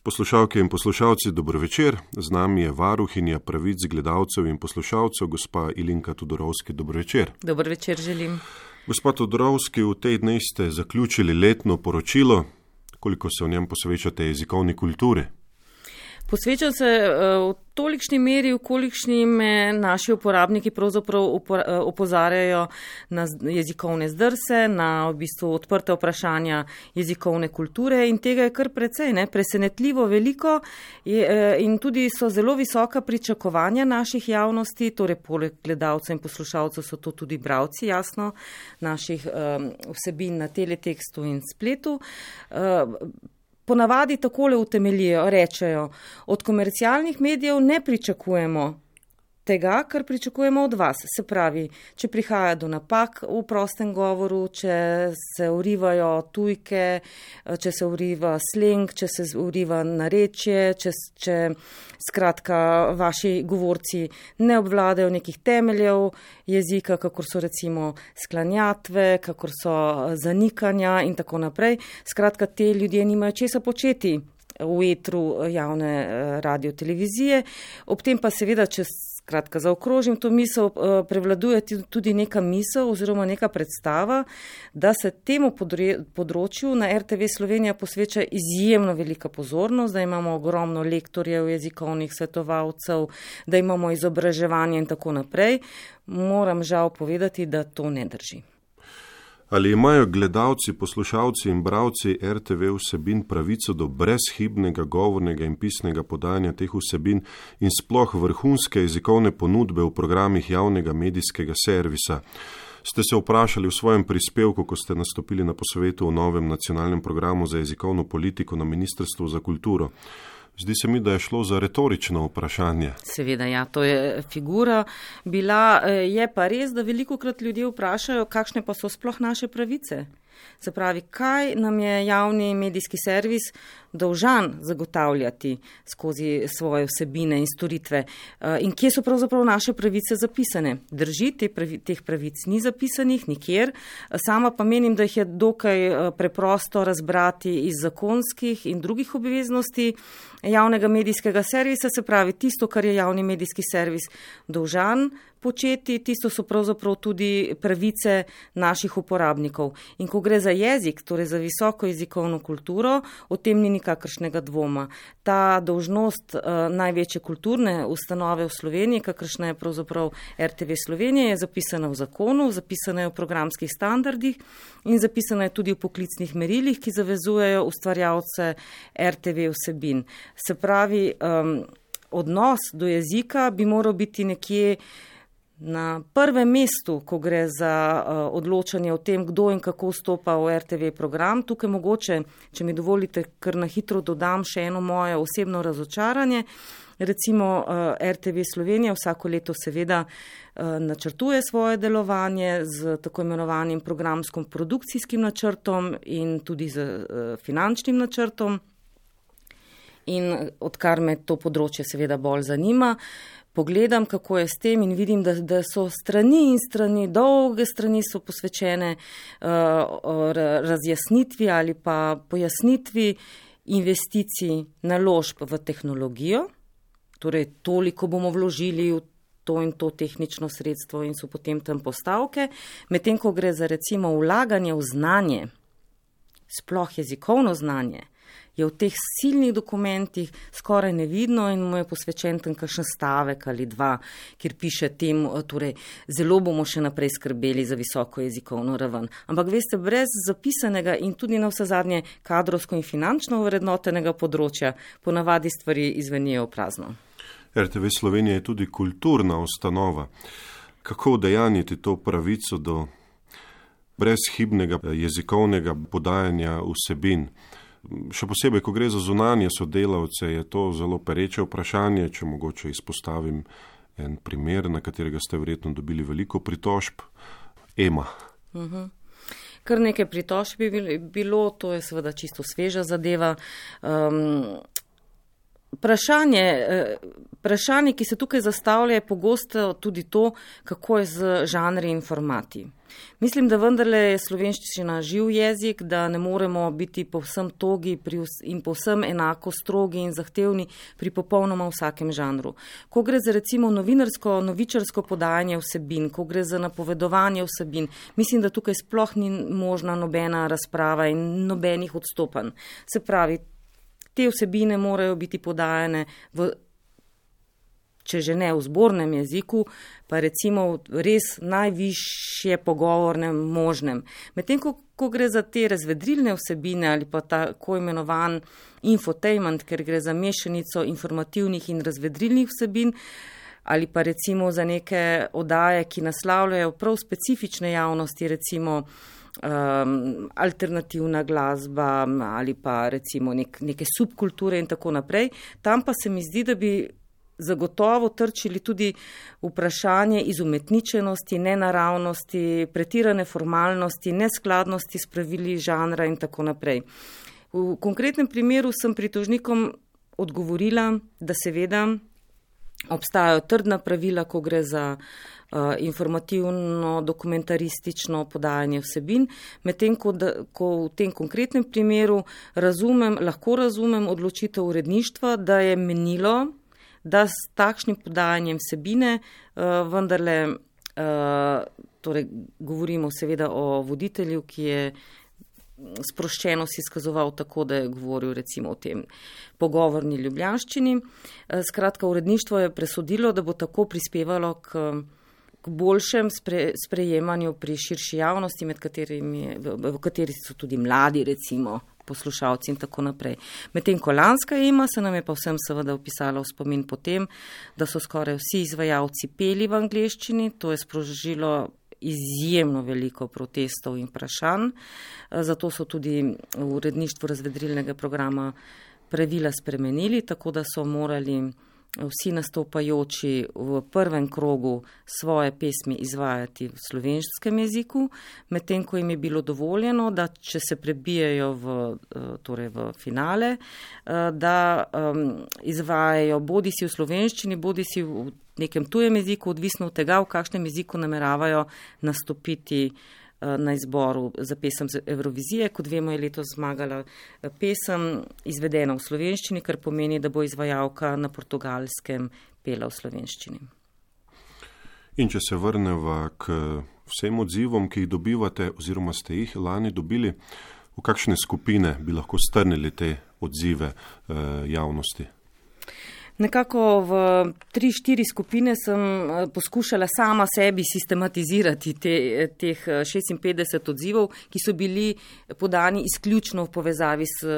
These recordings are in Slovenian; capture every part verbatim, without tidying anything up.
Poslušalke in poslušalci, dobro večer. Z nami je varuhinja pravic gledalcev in poslušalcev, gospa Ilinka Tudorovski. Dobro večer. Dobro večer želim. Gospa Tudorovski, v tej dnevi ste zaključili letno poročilo. Koliko se v njem posvečate jezikovni kulturi? Posvečam se v tolikšni meri, v kolikšni me naši uporabniki pravzaprav opozarjajo na jezikovne zdrse, na v bistvu odprte vprašanja jezikovne kulture in tega je kar precej, ne, presenetljivo veliko je, in tudi so zelo visoka pričakovanja naših javnosti, torej poleg gledalcev in poslušalcev so to tudi bralci, jasno, naših um, vsebin na teletekstu in spletu. Uh, Ponavadi takole utemeljijo, rečejo, od komercialnih medijev ne pričakujemo tega, kar pričakujemo od vas. Se pravi, če prihaja do napak v prostem govoru, če se urivajo tujke, če se uriva sleng, če se uriva narečje, če, če skratka vaši govorci ne obvladajo nekih temeljev jezika, kakor so recimo sklanjatve, kakor so zanikanja in tako naprej. Skratka, te ljudje nimajo česa početi v etru javne radio televizije. Ob tem pa seveda, če Kratka, zaokrožim to misel, prevladuje tudi neka misel oziroma neka predstava, da se temu področju na er te ve Slovenija posveča izjemno velika pozornost, da imamo ogromno lektorjev, jezikovnih svetovalcev, da imamo izobraževanje in tako naprej. Moram žal povedati, da to ne drži. Ali imajo gledalci, poslušalci in bralci er te ve vsebin pravico do brezhibnega govornega in pisnega podajanja teh vsebin in sploh vrhunske jezikovne ponudbe v programih javnega medijskega servisa? Ste se vprašali v svojem prispevku, ko ste nastopili na posvetu o novem nacionalnem programu za jezikovno politiko na Ministrstvu za kulturo? Zdi se mi, da je šlo za retorično vprašanje. Seveda, ja, to je figura bila. Je pa res, da velikokrat ljudje vprašajo, kakšne pa so sploh naše pravice. Se pravi, kaj nam je javni medijski servis dolžan zagotavljati skozi svoje vsebine in storitve in kje so pravzaprav naše pravice zapisane. Drži, te pravi, teh pravic ni zapisanih nikjer, sama pa menim, da jih je dokaj preprosto razbrati iz zakonskih in drugih obveznosti javnega medijskega servisa, se pravi tisto, kar je javni medijski servis dolžan početi, tisto so pravzaprav tudi pravice naših uporabnikov. In ko gre za jezik, torej za visoko jezikovno kulturo, o tem ni nikakršnega dvoma. Ta dolžnost uh, največje kulturne ustanove v Sloveniji, kakršna je pravzaprav er te ve Slovenija, je zapisana v zakonu, zapisana je v programskih standardih in zapisana je tudi v poklicnih merilih, ki zavezujejo ustvarjalce er te ve vsebin. Se pravi, um, odnos do jezika bi moral biti nekje na prvem mestu, ko gre za uh, odločanje o tem, kdo in kako vstopa v er te ve program. Tukaj mogoče, če mi dovolite, kar na hitro dodam še eno moje osebno razočaranje. Recimo uh, er te ve Slovenija vsako leto seveda uh, načrtuje svoje delovanje z tako imenovanim programskim produkcijskim načrtom in tudi z uh, finančnim načrtom. In odkar me to področje seveda bolj zanima, pogledam, kako je s tem in vidim, da, da so strani in strani, dolge strani so posvečene uh, razjasnitvi ali pa pojasnitvi investicij naložb v tehnologijo. Torej, toliko bomo vložili v to in to tehnično sredstvo in so potem tam postavke. Medtem, ko gre za recimo vlaganje v znanje, sploh jezikovno znanje, je v teh silnih dokumentih skoraj nevidno in mu je posvečen tam kakšen stavek ali dva, kjer piše tem, torej zelo bomo še naprej skrbeli za visoko jezikovno raven. Ampak veste, brez zapisanega in tudi na vse zadnje kadrovsko in finančno vrednotenega področja ponavadi stvari izvenijo v prazno. er te ve Slovenija je tudi kulturna ustanova. Kako udejanjiti to pravico do brezhibnega jezikovnega podajanja vsebin? Še posebej, ko gre za zunanje sodelavce, je to zelo pereče vprašanje, če mogoče izpostavim en primer, na katerega ste verjetno dobili veliko pritožb. Ema. Uh-huh. Kar nekaj pritožb bi bilo, to je seveda čisto sveža zadeva. Um, Vprašanje, vprašanje, ki se tukaj zastavlja, je pogosto tudi to, kako je z žanri in formati. Mislim, da vendarle je slovenščina živ jezik, da ne moremo biti povsem togi pri vs- in povsem enako strogi in zahtevni pri popolnoma vsakem žanru. Ko gre za recimo novinarsko, novičarsko podajanje vsebin, ko gre za napovedovanje vsebin, mislim, da tukaj sploh ni možna nobena razprava in nobenih odstopanj. Se pravi, te vsebine morajo biti podajane v, če že ne v zbornem jeziku, pa recimo res najvišje pogovornem možnem. Medtem, ko, ko gre za te razvedrilne vsebine ali pa tako imenovan infotainment, ker gre za mešanico informativnih in razvedrilnih vsebin, ali pa recimo za neke oddaje, ki naslavljajo prav specifične javnosti, recimo um, alternativna glasba ali pa recimo nek, neke subkulture in tako naprej, tam pa se mi zdi, da bi zagotovo trčili tudi vprašanje izumetničenosti, nenaravnosti, pretirane formalnosti, neskladnosti s pravili žanra in tako naprej. V konkretnem primeru sem pritožnikom odgovorila, da seveda obstajajo trdna pravila, ko gre za uh, informativno, dokumentaristično podajanje vsebin, medtem ko, da, ko v tem konkretnem primeru razumem, lahko razumem odločitev uredništva, da je menilo, da s takšnim podajanjem vsebine uh, vendarle, uh, torej govorimo seveda o voditelju, ki je sproščeno si izkazoval tako, da je govoril recimo o tem pogovorni ljubljanščini. Uh, skratka, uredništvo je presodilo, da bo tako prispevalo k, k boljšem spre, sprejemanju pri širši javnosti, med katerimi, v, v kateri so tudi mladi recimo poslušalci in tako naprej. Medtem ko lanska ema se nam je pa vsem seveda opisala v spomin potem, da so skoraj vsi izvajalci peli v angleščini, to je sprožilo izjemno veliko protestov in vprašanj, zato so tudi v uredništvu razvedrilnega programa pravila spremenili, tako da so morali vsi nastopajoči v prvem krogu svoje pesmi izvajati v slovenskem jeziku, medtem ko jim je bilo dovoljeno, da če se prebijajo v, torej v finale, da um, izvajajo bodi si v slovenščini, bodi si v nekem tujem jeziku, odvisno od tega, v kakšnem jeziku nameravajo nastopiti na izboru za pesem z Evrovizije. Kot vemo, je letos zmagala pesem izvedena v slovenščini, kar pomeni, da bo izvajalka na Portugalskem pela v slovenščini. In če se vrneva k vsem odzivom, ki jih dobivate oziroma ste jih lani dobili, v kakšne skupine bi lahko strnili te odzive eh, javnosti? Nekako v tri, štiri skupine sem poskušala sama sebi sistematizirati te, teh šestinpetdeset odzivov, ki so bili podani izključno v povezavi s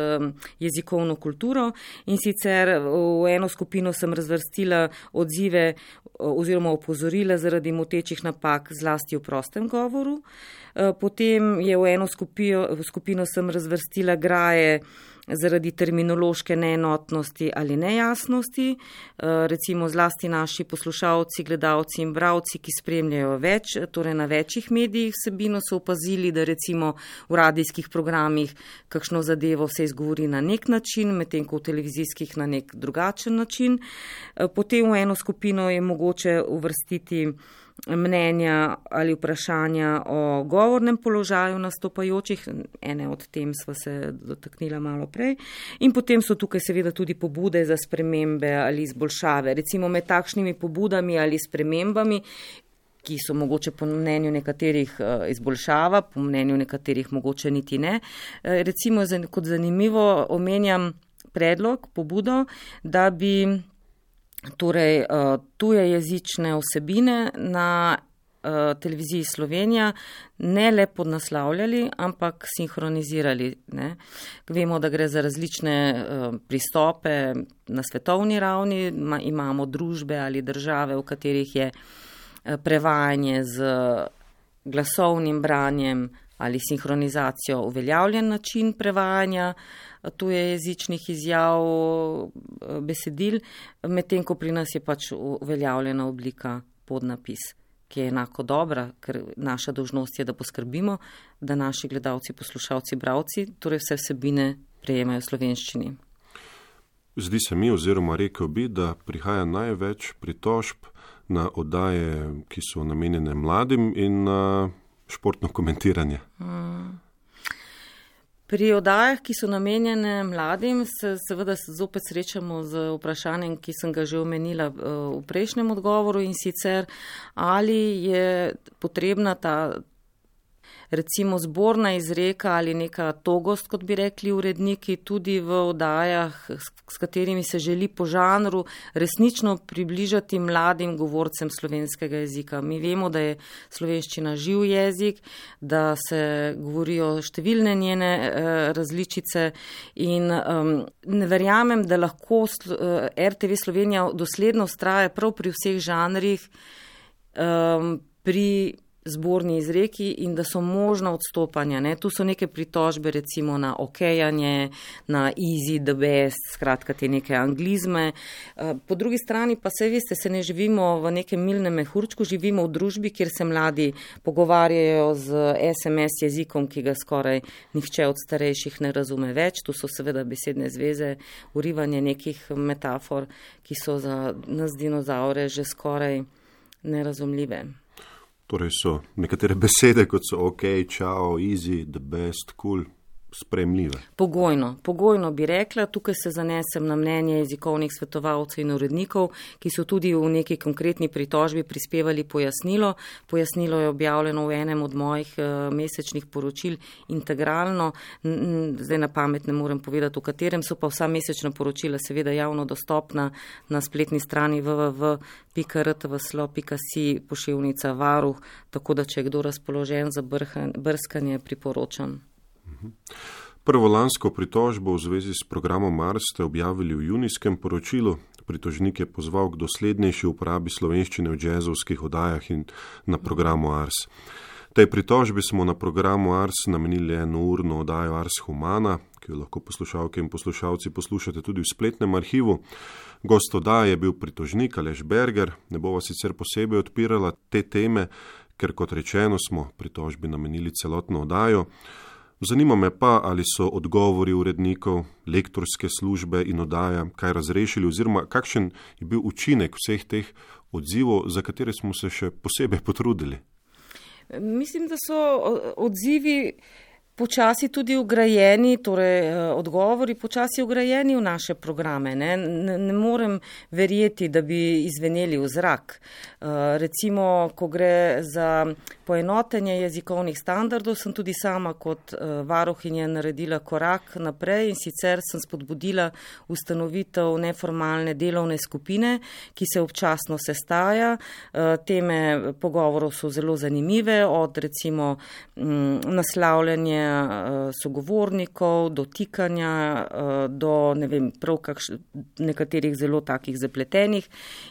jezikovno kulturo, in sicer v eno skupino sem razvrstila odzive oziroma opozorila zaradi motečih napak zlasti v prostem govoru. Potem je v eno skupino, v skupino sem razvrstila graje zaradi terminološke neenotnosti ali nejasnosti, recimo zlasti naši poslušalci, gledalci in bralci, ki spremljajo več, torej na večjih medijih vsebino, so opazili, da recimo v radijskih programih kakšno zadevo se izgovori na nek način, medtem ko v televizijskih na nek drugačen način. Potem v eno skupino je mogoče uvrstiti mnenja ali vprašanja o govornem položaju nastopajočih, ene od tem sva se dotaknila malo prej, in potem so tukaj seveda tudi pobude za spremembe ali izboljšave. Recimo med takšnimi pobudami ali spremembami, ki so mogoče po mnenju nekaterih izboljšava, po mnenju nekaterih mogoče niti ne. Recimo kot zanimivo omenjam predlog, pobudo, da bi torej tuje jezične vsebine na televiziji Slovenija ne le podnaslavljali, ampak sinhronizirali. Ne. Vemo, da gre za različne pristope na svetovni ravni, imamo družbe ali države, v katerih je prevajanje z glasovnim branjem ali sinhronizacijo uveljavljen način prevajanja tujejezičnih izjav besedil, medtem ko pri nas je pač uveljavljena oblika podnapis, ki je enako dobra, ker naša dolžnost je, da poskrbimo, da naši gledalci, poslušalci, bralci, torej vse vsebine prejemajo v slovenščini. Zdi se mi, oziroma rekel bi, da prihaja največ pritožb na oddaje, ki so namenjene mladim in na športno komentiranje? Hmm. Pri oddajah, ki so namenjene mladim, se seveda zopet srečamo z vprašanjem, ki sem ga že omenila v prejšnjem odgovoru, in sicer ali je potrebna ta recimo zborna izreka ali neka togost, kot bi rekli uredniki, tudi v oddajah, s katerimi se želi po žanru resnično približati mladim govorcem slovenskega jezika. Mi vemo, da je slovenščina živ jezik, da se govorijo številne njene eh, različice in um, ne verjamem, da lahko R T V Slovenija dosledno vztraja prav pri vseh žanrih um, pri zborni izreki in da so možna odstopanja. Ne? Tu so neke pritožbe recimo na okejanje, na easy, the best, skratka te neke anglizme. Po drugi strani pa se veste, se ne živimo v nekem milnem mehurčku, živimo v družbi, kjer se mladi pogovarjajo z es em es jezikom, ki ga skoraj nihče od starejših ne razume več. Tu so seveda besedne zveze, urivanje nekih metafor, ki so za nas dinozaure že skoraj nerazumljive. Torej so nekatere besede, kot so ok, čao, easy, the best, cool, sprejemljive. Pogojno, pogojno bi rekla, tukaj se zanesem na mnenje jezikovnih svetovalcev in urednikov, ki so tudi v neki konkretni pritožbi prispevali pojasnilo. Pojasnilo je objavljeno v enem od mojih uh, mesečnih poročil integralno, zdaj na pamet ne morem povedati, v katerem so pa vsa mesečna poročila seveda javno dostopna na spletni strani w w w pika r t v s l o pika si poševnica varuh, tako da če je kdo razpoložen za brskanje, priporočam. Prvo lansko pritožbo v zvezi s programom Ars ste objavili v junijskem poročilu. Pritožnik je pozval k doslednejši uporabi slovenščine v džezovskih oddajah in na programu Ars. Tej pritožbi smo na programu Ars namenili enourno oddajo Ars Humana, ki jo lahko poslušalke in poslušalci poslušate tudi v spletnem arhivu. Gost oddaje je bil pritožnik Aleš Berger. Ne bova sicer posebej odpirala te teme, ker kot rečeno smo pritožbi namenili celotno oddajo. Zanima me pa, ali so odgovori urednikov, lektorske službe in oddaja kaj razrešili oziroma kakšen je bil učinek vseh teh odzivov, za katere smo se še posebej potrudili. Mislim, da so odzivi počasi tudi ugrajeni, torej odgovori počasi ugrajeni v naše programe. Ne, ne, ne morem verjeti, da bi izveneli v zrak. Recimo, ko gre za poenotenje jezikovnih standardov, sem tudi sama kot varuhinja naredila korak naprej in sicer sem spodbudila ustanovitev neformalne delovne skupine, ki se občasno sestaja. Teme pogovorov so zelo zanimive, od recimo naslavljanja sogovornikov, dotikanja do ne vem, prav kakš, nekaterih zelo takih zapletenih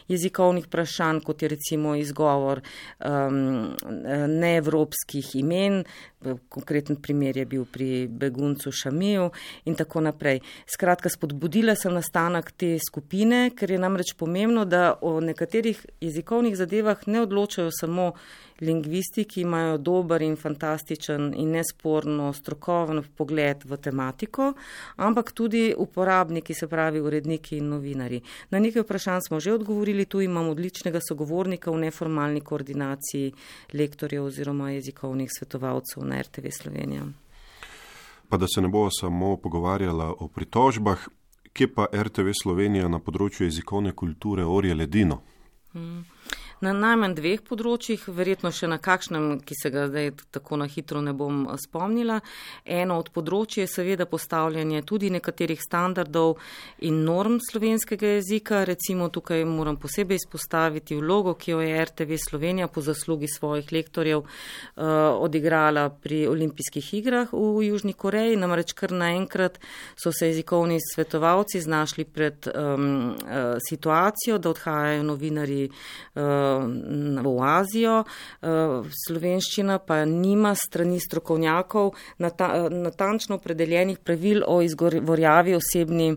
jezikovnih vprašanj, kot je recimo izgovor um, neevropskih imen, konkreten primer je bil pri beguncu Šamiju in tako naprej. Skratka, spodbudila sem nastanek te skupine, ker je namreč pomembno, da o nekaterih jezikovnih zadevah ne odločajo samo lingvisti, ki imajo dober in fantastičen in nesporno strokoven pogled v tematiko, ampak tudi uporabniki, se pravi uredniki in novinari. Na nekaj vprašanj smo že odgovorili, tu imam odličnega sogovornika v neformalni koordinaciji lektorjev oziroma jezikovnih svetovalcev na R T V Slovenija. Pa da se ne bo samo pogovarjala o pritožbah, kje pa R T V Slovenija na področju jezikovne kulture orje ledino? Hmm. Na najmanj dveh področjih, verjetno še na kakšnem, ki se ga zdaj tako na hitro ne bom spomnila. Eno od področij je seveda postavljanje tudi nekaterih standardov in norm slovenskega jezika. Recimo tukaj moram posebej izpostaviti vlogo, ki jo je R T V Slovenija po zaslugi svojih lektorjev uh, odigrala pri olimpijskih igrah v Južni Koreji. Namreč kar naenkrat so se jezikovni svetovalci znašli pred um, uh, situacijo, da odhajajo novinarji uh, v Azijo. Slovenščina pa nima strani strokovnjakov natančno opredeljenih pravil o izgovorjavi osebni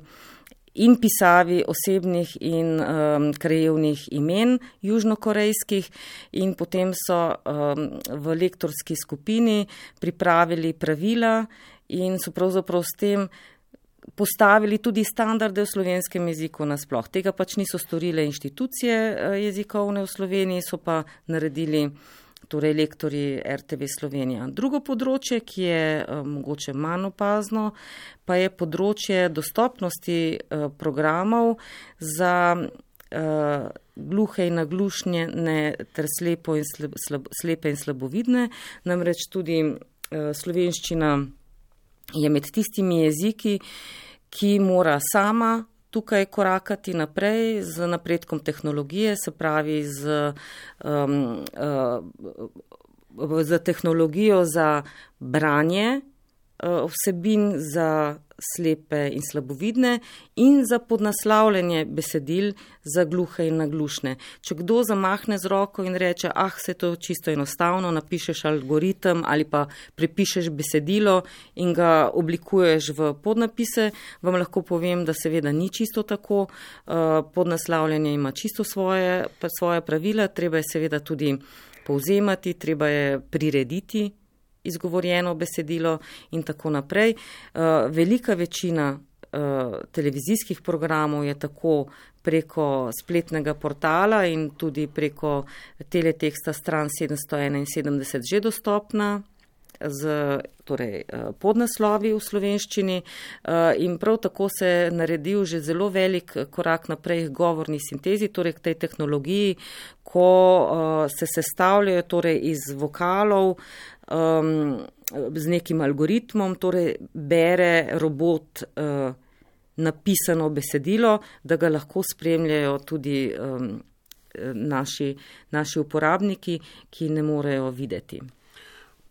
in pisavi osebnih in um, krajevnih imen južnokorejskih in potem so um, v lektorski skupini pripravili pravila in so pravzaprav s tem postavili tudi standarde v slovenskem jeziku nasploh. Tega pač niso storile inštitucije jezikovne v Sloveniji, so pa naredili torej lektorji R T V Slovenija. Drugo področje, ki je uh, mogoče manj opazno, pa je področje dostopnosti uh, programov za uh, gluhe in naglušne ter slepo in slab, slab, slepe in slabovidne. Namreč tudi uh, slovenščina je med tistimi jeziki, ki mora sama tukaj korakati naprej z napredkom tehnologije, se pravi z, um, uh, z tehnologijo za branje uh, vsebin za slepe in slabovidne in za podnaslavljanje besedil za gluhe in naglušne. Če kdo zamahne z roko in reče, ah, se to čisto enostavno, napišeš algoritem ali pa prepišeš besedilo in ga oblikuješ v podnapise, vam lahko povem, da seveda ni čisto tako. Podnaslavljanje ima čisto svoje, svoje pravila, treba je seveda tudi povzemati, treba je prirediti izgovorjeno besedilo in tako naprej. Velika večina televizijskih programov je tako preko spletnega portala in tudi preko teleteksta stran sedemsto enainsedemdeset že dostopna z torej, podnaslovi v slovenščini in prav tako se je naredil že zelo velik korak naprej k govorni sintezi, torej k tej tehnologiji, ko se sestavljajo torej iz vokalov Um, z nekim algoritmom, torej bere robot uh, napisano besedilo, da ga lahko spremljajo tudi um, naši, naši uporabniki, ki ne morejo videti.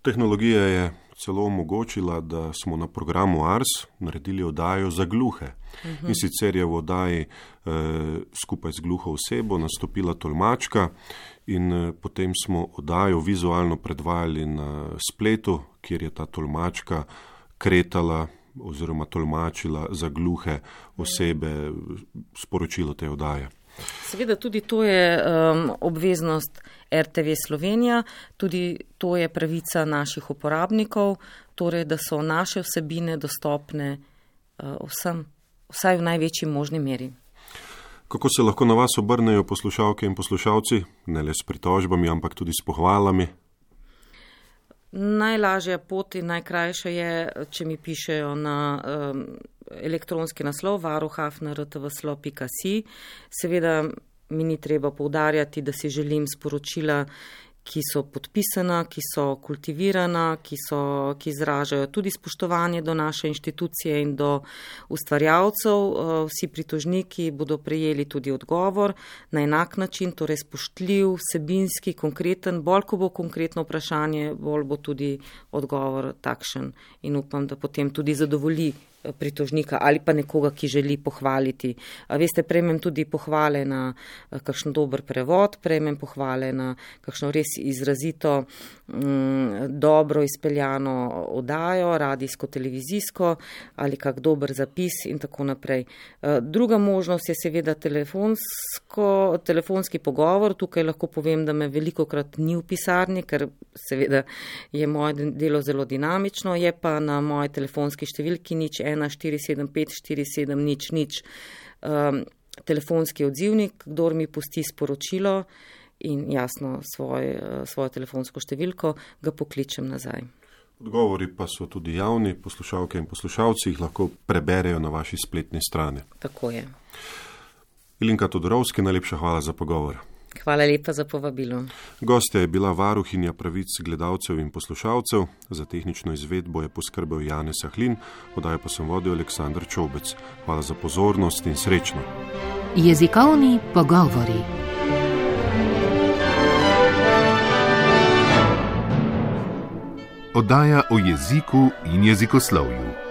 Tehnologija je celo omogočila, da smo na programu Ars naredili oddajo za gluhe. Uh-huh. In sicer je v oddaji eh, skupaj z gluho osebo nastopila tolmačka in eh, potem smo oddajo vizualno predvajali na spletu, kjer je ta tolmačka kretala oziroma tolmačila za gluhe osebe sporočilo te oddaje. Seveda tudi to je um, obveznost R T V Slovenija, tudi to je pravica naših uporabnikov, torej da so naše vsebine dostopne uh, vsem, vsaj v največji možni meri. Kako se lahko na vas obrnejo poslušalke in poslušalci, ne le s pritožbami, ampak tudi s pohvalami? Najlažja pot in najkrajša je, če mi pišejo na um, elektronski naslov varuh afna r t v slo pika si. Seveda mi ni treba poudarjati, da si želim sporočila, ki so podpisana, ki so kultivirana, ki, so, ki izražajo tudi spoštovanje do naše inštitucije in do ustvarjalcev. Vsi pritožniki bodo prejeli tudi odgovor na enak način, torej spoštljiv, vsebinski, konkreten. Bolj, ko bo konkretno vprašanje, bolj bo tudi odgovor takšen in upam, da potem tudi zadovolji pritožnika ali pa nekoga, ki želi pohvaliti. Veste, prejmem tudi pohvale na kakšen dober prevod, prejmem pohvale na kakšno res izrazito m, dobro izpeljano oddajo, radijsko, televizijsko ali kak dober zapis in tako naprej. Druga možnost je seveda telefonsko, telefonski pogovor. Tukaj lahko povem, da me velikokrat ni v pisarni, ker seveda je moje delo zelo dinamično, je pa na moji telefonski številki nič ena štiri sedem pet štiri sedem nič nič um, telefonski odzivnik, kdor mi pusti sporočilo in jasno svoj, svojo telefonsko številko, ga pokličem nazaj. Odgovori pa so tudi javni, poslušalke in poslušalci jih lahko preberejo na vaši spletni strani. Tako je. Ilinka Todorovski, najlepša hvala za pogovor. Hvala lepa za povabilo. Gostja je bila varuhinja pravic gledalcev in poslušalcev, za tehnično izvedbo je poskrbel Janez Sahlin, oddajo pa sem vodil Aleksandar Čobec. Hvala za pozornost in srečno. Jezikovni pogovori. Oddaja o jeziku in jezikoslovju.